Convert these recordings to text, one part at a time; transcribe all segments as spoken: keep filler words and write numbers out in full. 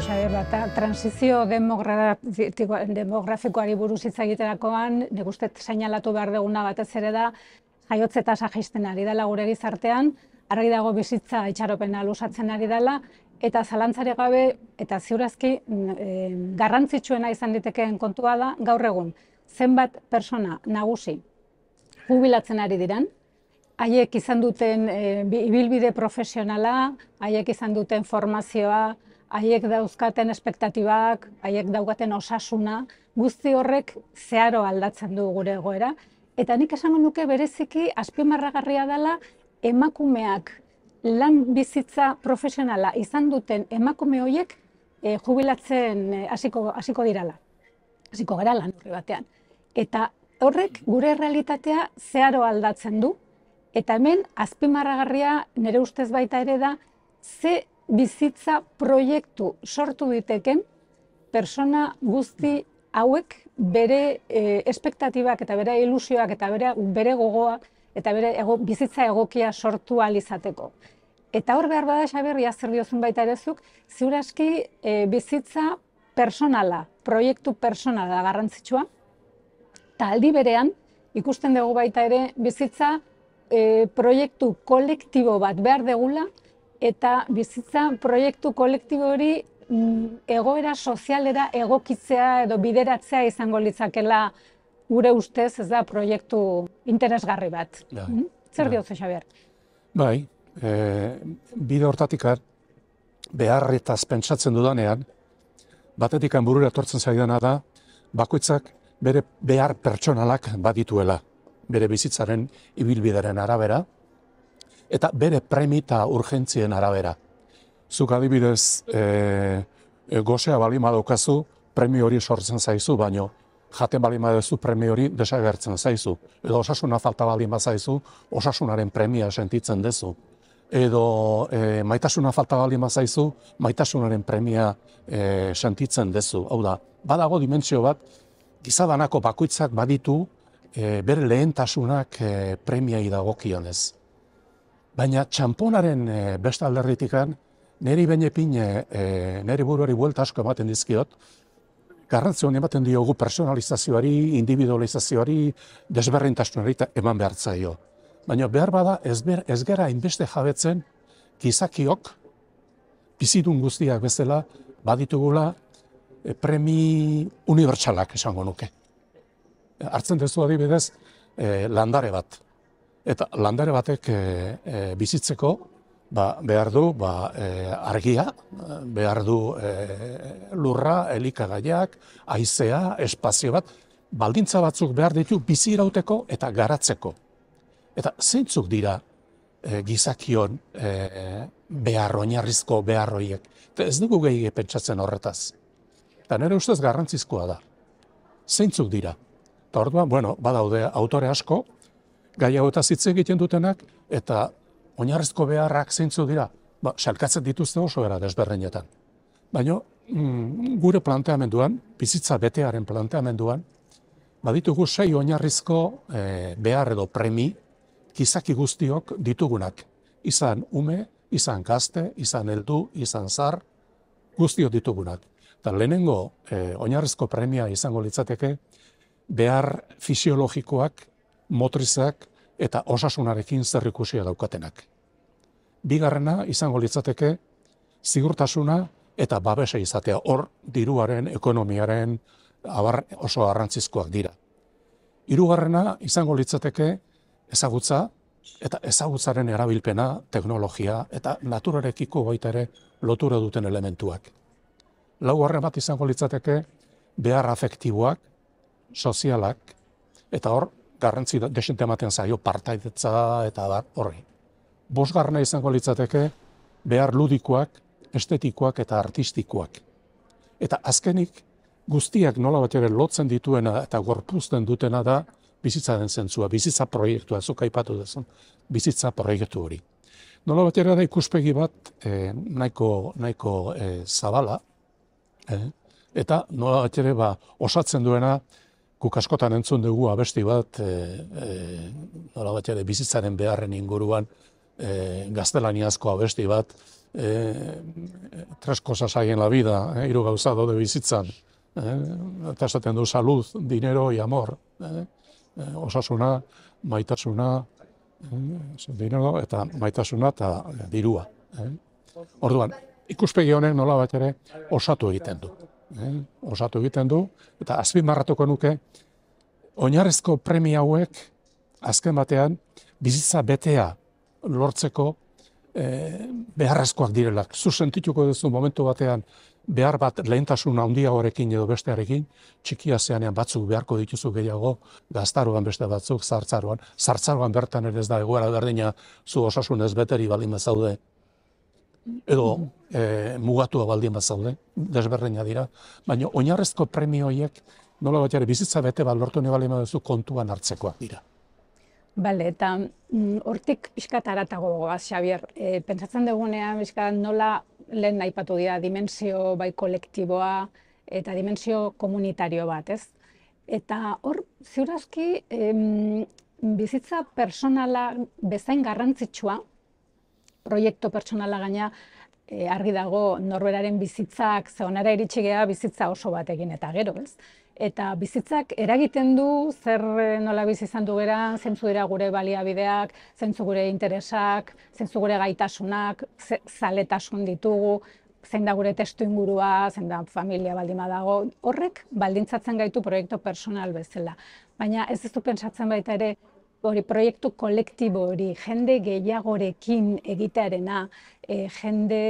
Xabier, bat, transizio demografikoari buruz hitz egiterakoan, nik uste seinalatu behar duguna batez ere da, jaiotze tasa jaisten ari dela gure gizartean, argi dago bizitza itxaropena luzatzen ari dela, eta zalantzari gabe, eta ziurazki e, garrantzitsuena izan ditekeen kontua da, gaur egun, zenbat persona nagusi jubilatzen ari diran, haiek izan duten e, ibilbide profesionala, haiek izan duten formazioa, haiek dauzkaten espektatibak, haiek daukaten osasuna, guzti horrek zeharo aldatzen du gure egoera. Eta nik esango nuke bereziki azpimarragarria dela emakumeak lan bizitza profesionala izan duten emakume horiek e, jubilatzen e, hasiko, hasiko dirala. Hasiko gara lan horri batean. Eta horrek gure realitatea zeharo aldatzen du. Eta hemen azpimarragarria nire ustez baita ere da ze bizitza proiektu sortu diteken persona guzti hauek bere e, espektatibak eta bere ilusioak eta bere, bere gogoa eta bere ego, bizitza egokia sortu ahal izateko. Eta hor behar bada, Xabier, zer diozun baita ere zuk, ziur aski e, bizitza personala, proiektu personala garrantzitsua, eta aldi berean ikusten dugu baita ere bizitza e, proiektu kolektibo bat behar degula, eta bizitza proiektu kolektibo hori egoera sozialera egokitzea edo bideratzea izango litzakela gure ustez, ez da, proiektu interesgarri bat. Bai, Zer bai. diotzu, Xabier? Bai, e, bide hortatik beharretaz pentsatzen dudanean, batetik burura etortzen zaidana da, bakoitzak bere behar pertsonalak badituela, bere bizitzaren ibilbideren arabera, eta bere premi eta urgentzien arabera. Zuk adibidez, e, e, gozea balima daukazu, premio hori sortzen zaizu, baino jaten balima duzu premio hori desagertzen zaizu. Edo osasuna falta balima zaizu, osasunaren premia sentitzen dezu. Edo e, maitasuna falta balima zaizu, maitasunaren premia e, sentitzen dezu. Hau da, badago dimentsio bat, gizadanako bakoitzak baditu e, bere lehentasunak e, premiai dagokionez. Baina txamponaren e, beste alderritikan, niri bainepin e, niri buruari buelta asko ematen dizkiot, garrantzio ematen diogu personalizazioari, individualizazioari, desberdintasunari eman behar zaio. Baina behar bada ez, ber, ez gera inbeste jabetzen gizakiok, bizidun guztiak bezala, baditugula e, premi unibertsalak esango nuke. Hartzen duzu adibidez e, landare bat. Eta landare batek e, e, bizitzeko ba, behar du ba, e, argia, behar du e, lurra, elikagaiak, haizea, espazio bat, baldintza batzuk behar ditu bizi irauteko eta garatzeko. Eta zeintzuk dira e, gizakion e, behar, oinarrizko behar horiek. Eta ez dugu gehi pentsatzen horretaz. Eta nire ustez garrantzizkoa da. Zeintzuk dira. Eta orduan, bueno, badaude autore asko, gai hau eta hitz egiten dutenak, eta oinarrizko beharrak zeintzuk dira, ba, salkatzen dituzte oso era desberdinetan. Baina mm, gure planteamenduan, bizitza betearen planteamenduan, baditugu sei oinarrizko e, behar edo premi, gizaki guztiok ditugunak. Izan ume, izan gazte, izan heldu, izan zar, guztiok ditugunak. Eta lehenengo e, oinarrizko premia izango litzateke, behar fisiologikoak, motrizak eta osasunarekin zerrikusia daukatenak. Bigarrena izango litzateke ziurtasuna eta babesa izatea. Hor diruaren, ekonomiaren abar oso garrantzizkoak dira. Hirugarrena izango litzateke ezagutza eta ezagutzaren erabilpena, teknologia eta naturarekiko baita ere lotura duten elementuak. Laugarren bat izango litzateke behar afektiboak, sozialak, eta hor garrantzi desente ematen zaio partaidetza eta horri. Bosgarrena izango litzateke behar ludikoak, estetikoak eta artistikoak. Eta azkenik guztiak nola bat ere lotzen dituena eta gorpuzten dutena da bizitzaren zentzua, bizitza proiektua, zuk aipatu duzun, bizitza proiektu hori. Nola bat ere da ikuspegi bat eh, nahiko, nahiko eh, zabala, eh? Eta nola bat ere ba, osatzen duena, guk askotan entzun dugu abesti bat, e, e, nola bat ere bizitzaren beharren inguruan, e, gaztelaniazko abesti bat, eh, tres cosas hay en la vida, eh, hiru gauza daude bizitzan, eh, eta esaten du salud, dinero y amor, eh, eh, osasuna, maitasuna, eh, dinero eta maitasuna eta dirua. Eh. Orduan, ikuspegi honek nola bat ere osatu egiten du. Eh, osatu egiten du, eta azpimarratuko nuke, oinarrizko premia hauek, azken batean, bizitza betea lortzeko eh, beharrezkoak direlak. Zu sentituko duzu momentu batean behar bat lehentasun handiagoarekin edo bestearekin, txikia zeanean batzuk beharko dituzu gehiago, gaztaroan beste batzuk, zartzaroan. Zartzaroan bertan ere ez da egoera berdina zu osasunez beteri baldin bazaude, edo eh, mugatua baldin bazaude, desberdina dira. Baina oinarrezko premio horiek, nola bat ere bizitza bete bat lortu nahi baldin baduzu kontuan hartzekoak dira. Bale, eta mm, hortik pixkat aratago goaz, Xabier. E, pentsatzen dugunean, pixkat nola lehen aipatu dira, dimensio bai kolektiboa eta dimensio komunitario bat, ez? Eta hor, ziurazki, em, bizitza personala bezain garrantzitsua, proiektu personala gaina, e, argi dago norberaren bizitzak, zeonara iritsi gea bizitza oso batekin eta gero, ez? Eta bizitzak eragiten du zer nola bizi izan du geran, zeintzu dira gure baliabideak, zeintzu gure interesak, zeintzu gure gaitasunak, ze, zaletasun ditugu, zein da gure testu ingurua, zein da familia baldin badago, horrek baldintzatzen gaitu proiektu personal bezala. Baina ez ez du pentsatzen baita ere, hori proiektu kolektibo hori, jende gehiagorekin egitearena, e, jende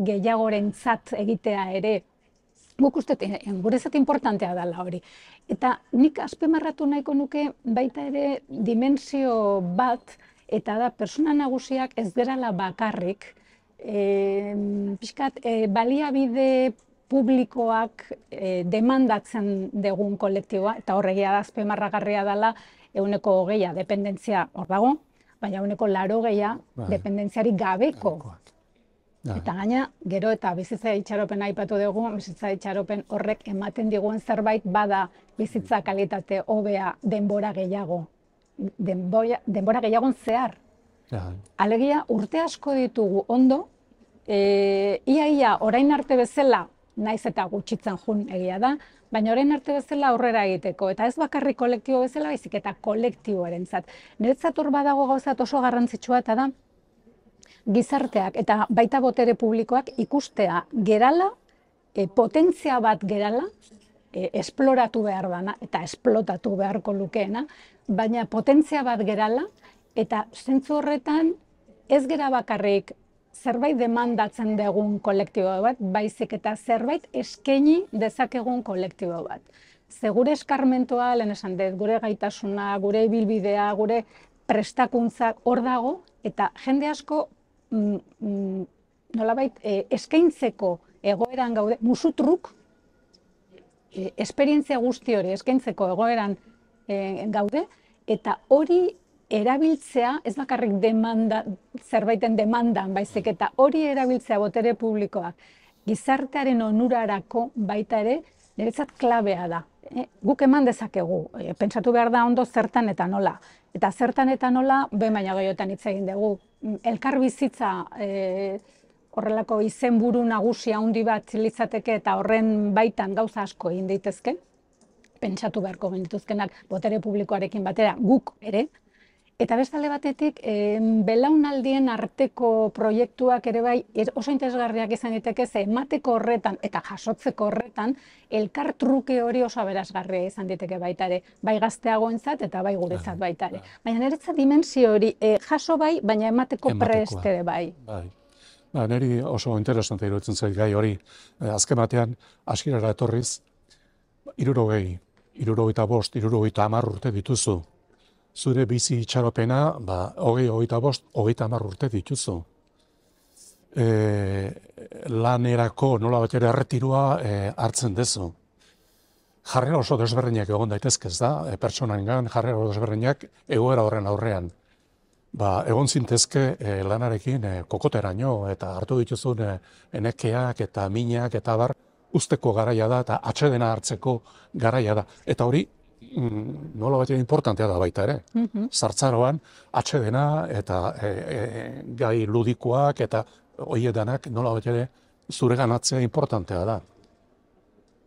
gehiagorentzat egitea ere, guk uste, guretzat importantea dela hori. Eta nik azpimarratu nahiko nuke baita ere dimensio bat, eta da persona nagusiak ez gerala bakarrik, e, pixkat, e, baliabide publikoak e, demandatzen dugun kolektiboa, eta horregia da azpimarragarria dela, ehuneko hogeia dependentzia hor dago, baina ehuneko laurogeia dependentziarik gabeko. Eta gaina, gero eta bizitza itxaropen aipatu dugu, bizitza itxaropen horrek ematen diguen zerbait bada bizitza kalitate hobea denbora gehiago. Denbora, denbora gehiagon zehar. Alegia, urte asko ditugu ondo, e, ia ia orain arte bezala, naiz eta gutxitzen jun egia da, baina orain arte bezala aurrera egiteko, eta ez bakarrik kolektibo bezala, baizik eta kolektiboarentzat. Niretzat hor badago gauzat oso garrantzitsua eta da, gizarteak eta baita botere publikoak ikustea gerala, e, potentzia bat gerala, e, esploratu behar dana eta esplotatu beharko lukeena, baina potentzia bat gerala eta zentzu horretan ez gera bakarrik zerbait demandatzen dugun kolektibo bat, baizik eta zerbait eskaini dezakegun kolektibo bat. Ze gure eskarmentoa, lehen esan dut, gure gaitasuna, gure ibilbidea, gure prestakuntzak hor dago, eta jende asko Mm, mm, nolabait, eh, eskaintzeko egoeran gaude, musutruk, eh, esperientzia guzti hori eskaintzeko egoeran eh, gaude, eta hori erabiltzea, ez bakarrik demanda, zerbaiten demandan, baizik eta hori erabiltzea botere publikoak, gizartearen onurarako baita ere, niretzat klabea da. Eh, guk eman dezakegu, eh, pentsatu behar da ondo zertan eta nola. Eta zertan eta nola, behin baina gehiotan hitz egin dugu. Elkar bizitza e, horrelako izenburu nagusia handi bat litzateke eta horren baitan gauza asko egin daitezke. Pentsatu beharko genituzkenak botere publikoarekin batera, guk ere. Eta bestale batetik, e, belaunaldien arteko proiektuak ere bai oso interesgarriak izan diteke, ze emateko horretan eta jasotzeko horretan, elkar truke hori oso aberasgarria izan diteke baita ere, bai gazteagoentzat eta bai guretzat baita ere. Baina niretzat dimensio hori e, jaso bai, baina emateko prest ere bai. Bai. Ba, niri oso interesante iruditzen zait gai hori. E, azken batean, hasierara etorriz, hirurogei, hirurogeita bost, hirurogeita hamar urte dituzu. Zure bizi itxaropena, ba, hogei, hogeita bost, hogeita hamar urte dituzu. E, lanerako nola bat ere erretirua e, hartzen dezu. Jarrera oso desberdinak egon daitezke, ez da? E, pertsonengan jarrera oso desberdinak egoera horren aurrean. Ba, egon zintezke e, lanarekin e, kokoteraino eta hartu dituzun e, enekeak eta minak eta bar usteko garaia da eta atsedena hartzeko garaia da. Eta hori, nola bat importantea da baita ere. Zartzaroan atsedena eta e, e, gai ludikoak eta hoiedanak nola bat ere zure ganatzea importantea da.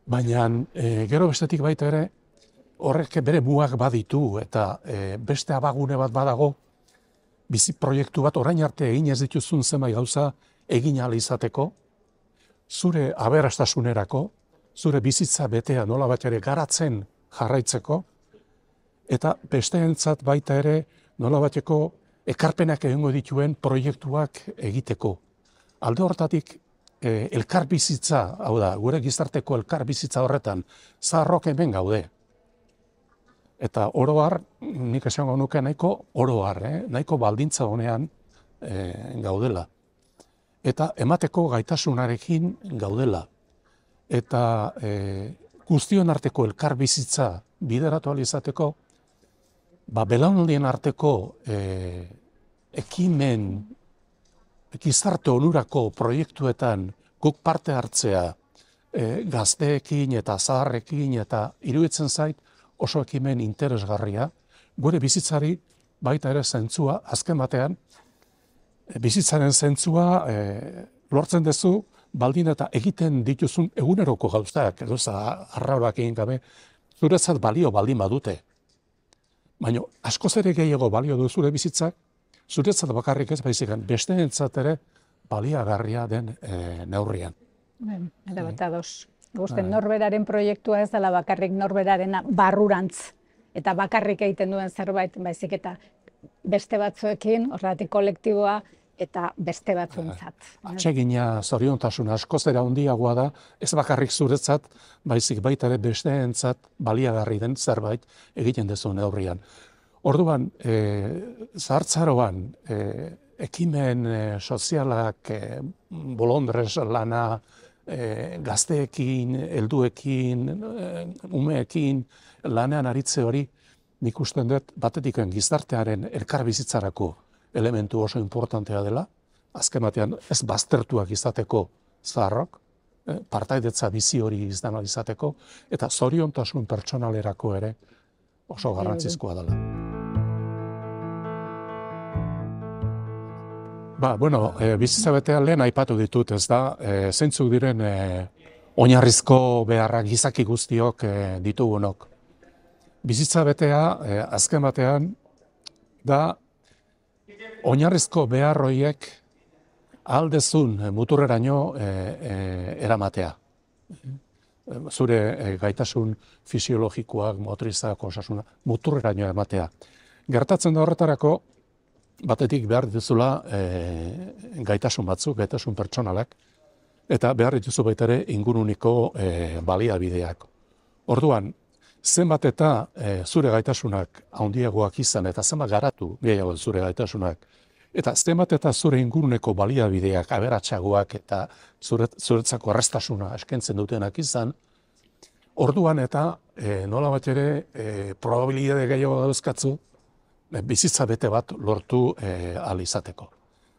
Baina e, gero bestetik baita ere, horrek bere mugak baditu eta e, beste abagune bat badago, bizi proiektu bat orain arte egin ez dituzun zenbait gauza egin ahal izateko, zure aberastasunerako, zure bizitza betea nola bat ere garatzen jarraitzeko, eta besteentzat baita ere nola bateko ekarpenak egingo dituen proiektuak egiteko. Alde hortatik, e, elkar bizitza, hau da, gure gizarteko elkar bizitza horretan, zaharrok hemen gaude. Eta oro har, nik esango nuke nahiko oro har, eh? nahiko baldintza honean e, gaudela. Eta emateko gaitasunarekin gaudela. Eta e, guztion arteko elkar bizitza bideratu ahal izateko, ba, belaunaldien arteko e, ekimen, gizarte onurako proiektuetan guk parte hartzea e, gazteekin eta zaharrekin eta iruditzen zait oso ekimen interesgarria, gure bizitzari baita ere zentzua, azken batean, bizitzaren zentzua e, lortzen duzu, baldin eta egiten dituzun eguneroko gauztak, edo arraurak egin gabe, zuretzat balio baldin badute. Baina askoz ere gehiago balio du zure bizitzak, zuretzat bakarrik ez baizik, besteentzat ere baliagarria den e, neurrian. Ben, ere bat ados. Gusten norberaren proiektua ez dela bakarrik norberaren barrurantz eta bakarrik egiten duen zerbait, baizik eta beste batzuekin, horregatik kolektiboa eta beste batzuntzat. Atsegina, zoriontasuna askoz ere handiagoa da, ez bakarrik zuretzat, baizik baita ere besteentzat baliagarri den zerbait egiten dezu neurrian. Orduan, e, zahartzaroan, e, ekimen e, sozialak, e, bolondrez lana, e, gazteekin, helduekin, e, umeekin, lanean aritze hori, nik usten dut batetik gizartearen elkarbizitzarako elementu oso importantea dela, azken batean ez baztertuak izateko zaharrok, eh, partaidetza bizi hori izan izateko, eta zoriontasun pertsonalerako ere oso garrantzizkoa dela. Ba, bueno, e, bizitza betea lehen aipatu ditut, ez da, e, zeintzuk diren e, oinarrizko beharrak gizaki guztiok e, ditugunok. Bizitza betea, e, azken batean, da, oinarrizko behar horiek aldezun muturreraino e, e, eramatea. Zure e, gaitasun fisiologikoak, motrizak, osasuna, muturreraino eramatea. Gertatzen da horretarako, batetik behar dituzula e, gaitasun batzuk, gaitasun pertsonalak, eta behar dituzu baita ere inguruniko e, baliabideak. Orduan, zenbat eta e, zure gaitasunak handiagoak izan eta zenbat garatu gehiago zure gaitasunak, eta zenbat eta zure inguruneko baliabideak aberatsagoak eta zure, zuretzako erraztasuna eskentzen dutenak izan, orduan eta e, nola bat ere e, probabilitate gehiago dauzkatzu e, bizitza bete bat lortu e, ahal izateko.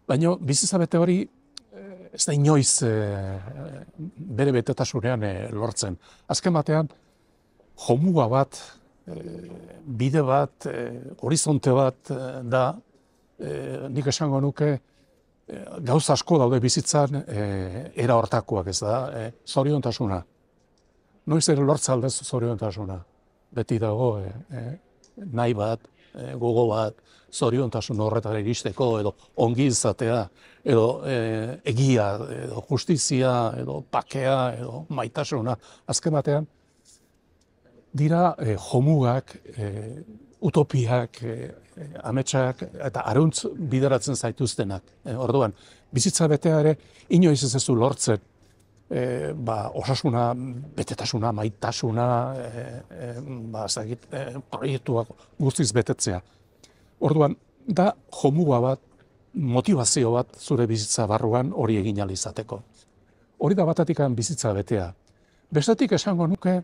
Baina bizitza bete hori e, ez da inoiz e, bere betetasunean e, lortzen. Azken batean, jomuga bat, bide bat, horizonte bat da, nik esango nuke, gauza asko daude bizitzan era hortakoak ez da, zoriontasuna. Noiz ere lortza aldez zoriontasuna. Beti dago nahi bat, gogo bat, zoriontasun horretara iristeko, edo ongi izatea, edo egia, edo justizia, edo pakea, edo maitasuna. Azken batean, dira eh, jomugak, eh, utopiak, eh, ametsak eta areuntz bideratzen zaituztenak. Eh, orduan, bizitza betea ere inoiz ez ezu lortzen eh, ba, osasuna, betetasuna, maitasuna, eh, eh, ba, zagit, eh, proiektuak guztiz betetzea. Orduan, da jomuga bat, motivazio bat zure bizitza barruan hori egin ahal izateko. Hori da batetik bizitza betea. Bestetik esango nuke,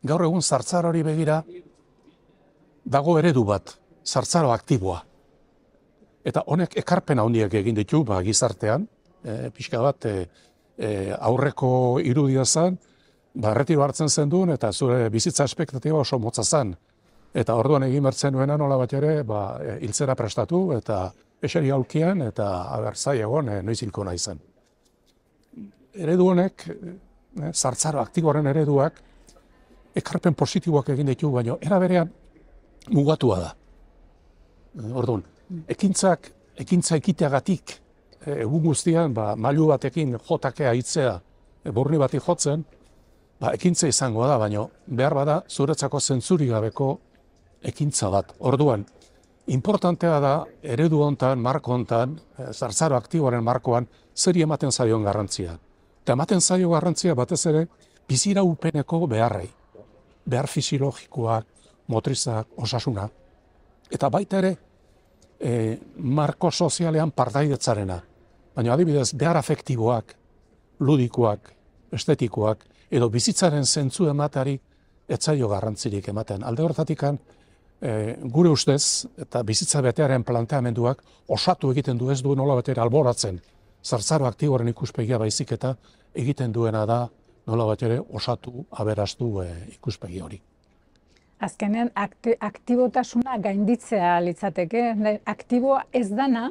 gaur egun zartzarori begira, dago eredu bat, zartzaro aktiboa. Eta honek ekarpena handiak egin ditu, ba, gizartean, e, pixka bat e, e, aurreko irudia zen, ba, erretiro hartzen zen duen, eta zure bizitza espektatiba oso motza zen. Eta orduan egin bertzen nuena nola bat ere, ba, hiltzera prestatu, eta eseri aulkian eta abertzai egon e, noiz hilko naizan. Eredu honek, e, zartzaro aktiboaren ereduak, ekarpen positiboak egin ditu, baina era berean mugatua da. Orduan, ekintzak, ekintza ekiteagatik, egun guztian, ba, mailu batekin jotakea hitzea, e, burni bati jotzen, ba, ekintza izango da, baina behar bada zuretzako zentzuri gabeko ekintza bat. Orduan, importantea da, eredu hontan, marko hontan, e, zartzaro aktiboaren markoan, zeri ematen zaion garrantzia. Eta ematen zaio garrantzia batez ere, biziraupeneko beharrei. Behar fisiologikoak, motrizak, osasuna. Eta baita ere, e, marko sozialean partaidetzarena. Baina adibidez, behar afektiboak, ludikoak, estetikoak, edo bizitzaren zentzu emateari etzaio garrantzirik ematen. Alde horretatik, e, gure ustez, eta bizitza betearen planteamenduak osatu egiten du ez du nola batera alboratzen. Zartzaro aktiboaren ikuspegia baizik eta egiten duena da nola batera osatu, aberastu e, ikuspegi hori. Azkenean, akti, aktibotasuna gainditzea litzateke. Aktiboa ez dana,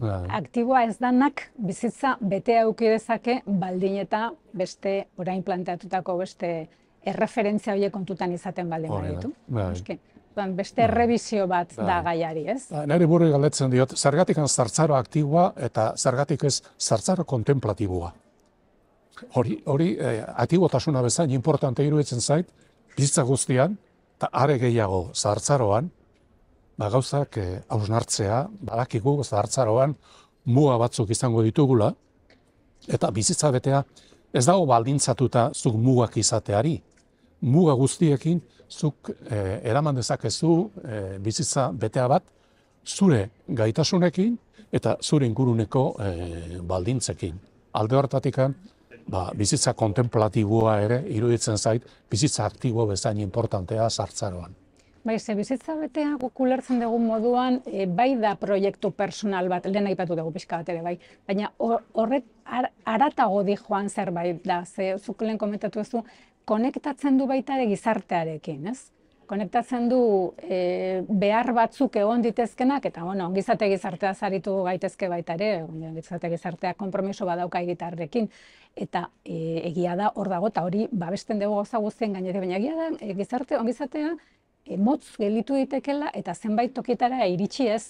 aktiboa ez danak bizitza bete auki dezake baldin eta beste orain planteatutako beste erreferentzia horiek kontutan izaten baldin baditu. Beste errebizio bat da gaiari, ez? Nire burri galdetzen diot, zergatik zartzaro aktiboa eta zergatik ez zartzaro kontemplatiboa. Hori, hori aktibotasuna bezain importante iruditzen zait, bizitza guztian, eta are gehiago zartzaroan, ba gauzak hausnartzea, badakigu zartzaroan muga batzuk izango ditugula, eta bizitza betea ez dago baldintzatuta zuk mugak izateari. Muga guztiekin zuk eh, eraman dezakezu eh, bizitza betea bat zure gaitasunekin eta zure inguruneko eh, baldintzekin. Alde horretatik, ba, bizitza kontemplatiboa ere iruditzen zait, bizitza aktibo bezain importantea zartzaroan. Bai, ze bizitza betea guk ulertzen dugun moduan, e, bai da proiektu personal bat, lehen aipatu dugu pixka bat ere bai, baina horret ar, aratago di joan zerbait da, ze zuk lehen komentatu duzu, konektatzen du baita ere gizartearekin, ez? Konektatzen du e, behar batzuk egon ditezkenak, eta bueno, ongizate gizartea zaritu gaitezke baita ere, ongizate gizartea konpromiso badauka egitarrekin, eta e, egia da hor dago, eta hori babesten dugu gauza guztien gainetik, baina egia da e, gizarte ongizatea e, motz gelditu ditekela eta zenbait tokitara iritsi ez.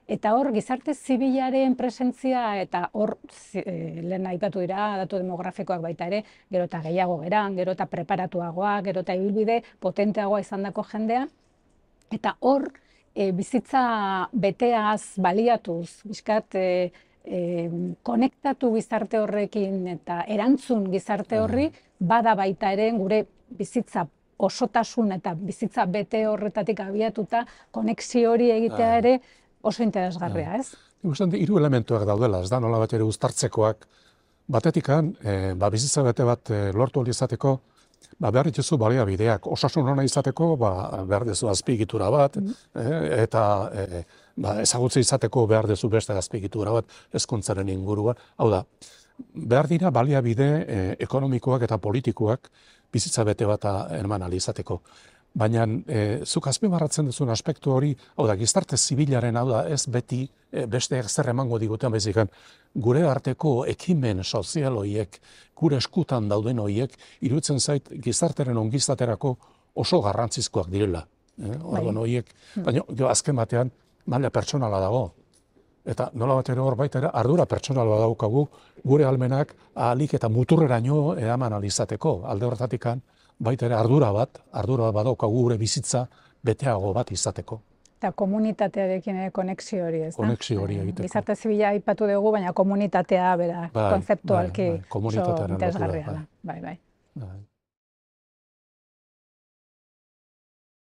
Eta hor, gizarte zibilaren presentzia eta hor, e, lehen aipatu dira, datu demografikoak baita ere, gero eta gehiago geran, gero eta preparatuagoa, gero eta ibilbide potenteagoa izandako jendea. Eta hor, e, bizitza beteaz baliatuz, bizkat, e, e, konektatu gizarte horrekin eta erantzun gizarte horri, bada baita ere gure bizitza osotasun eta bizitza bete horretatik abiatuta, konexio hori egitea ere, oso interesgarria, ez? Ikusten di, hiru elementuak daudela, ez da, nola bat ere uztartzekoak. Batetikan, e, ba, bizitza bete bat e, lortu aldi izateko, ba, behar dituzu baliabideak. Osasun ona izateko, ba, behar duzu azpiegitura bat, mm. e, eta e, ba, ezagutze izateko behar duzu beste azpiegitura bat, hezkuntzaren inguruan. Hau da, behar dira baliabide e, ekonomikoak eta politikoak bizitza bete bat eman ahal izateko. Baina e, zuk azpimarratzen duzun aspektu hori, hau da, gizarte zibilaren, hau da, ez beti e, beste zer emango diguten bezikan, gure arteko ekimen sozial horiek, gure eskutan dauden horiek, iruditzen zait gizarteren ongizaterako oso garrantzizkoak direla. Eh? Orduan horiek, baina jo, azken batean, maila pertsonala dago. Eta nola bat ere hor baita ere, ardura pertsonal badaukagu, gure almenak ahalik eta muturreraino edaman alizateko, alde horretatikan, baita ere ardura bat, ardura bat badaukagu gure bizitza beteago bat izateko. Eta komunitatearekin konexio hori, ez da? Konexio hori egiteko. Gizarte zibila aipatu dugu, baina komunitatea, bera, konzeptualki oso interesgarria da. Bai, bai.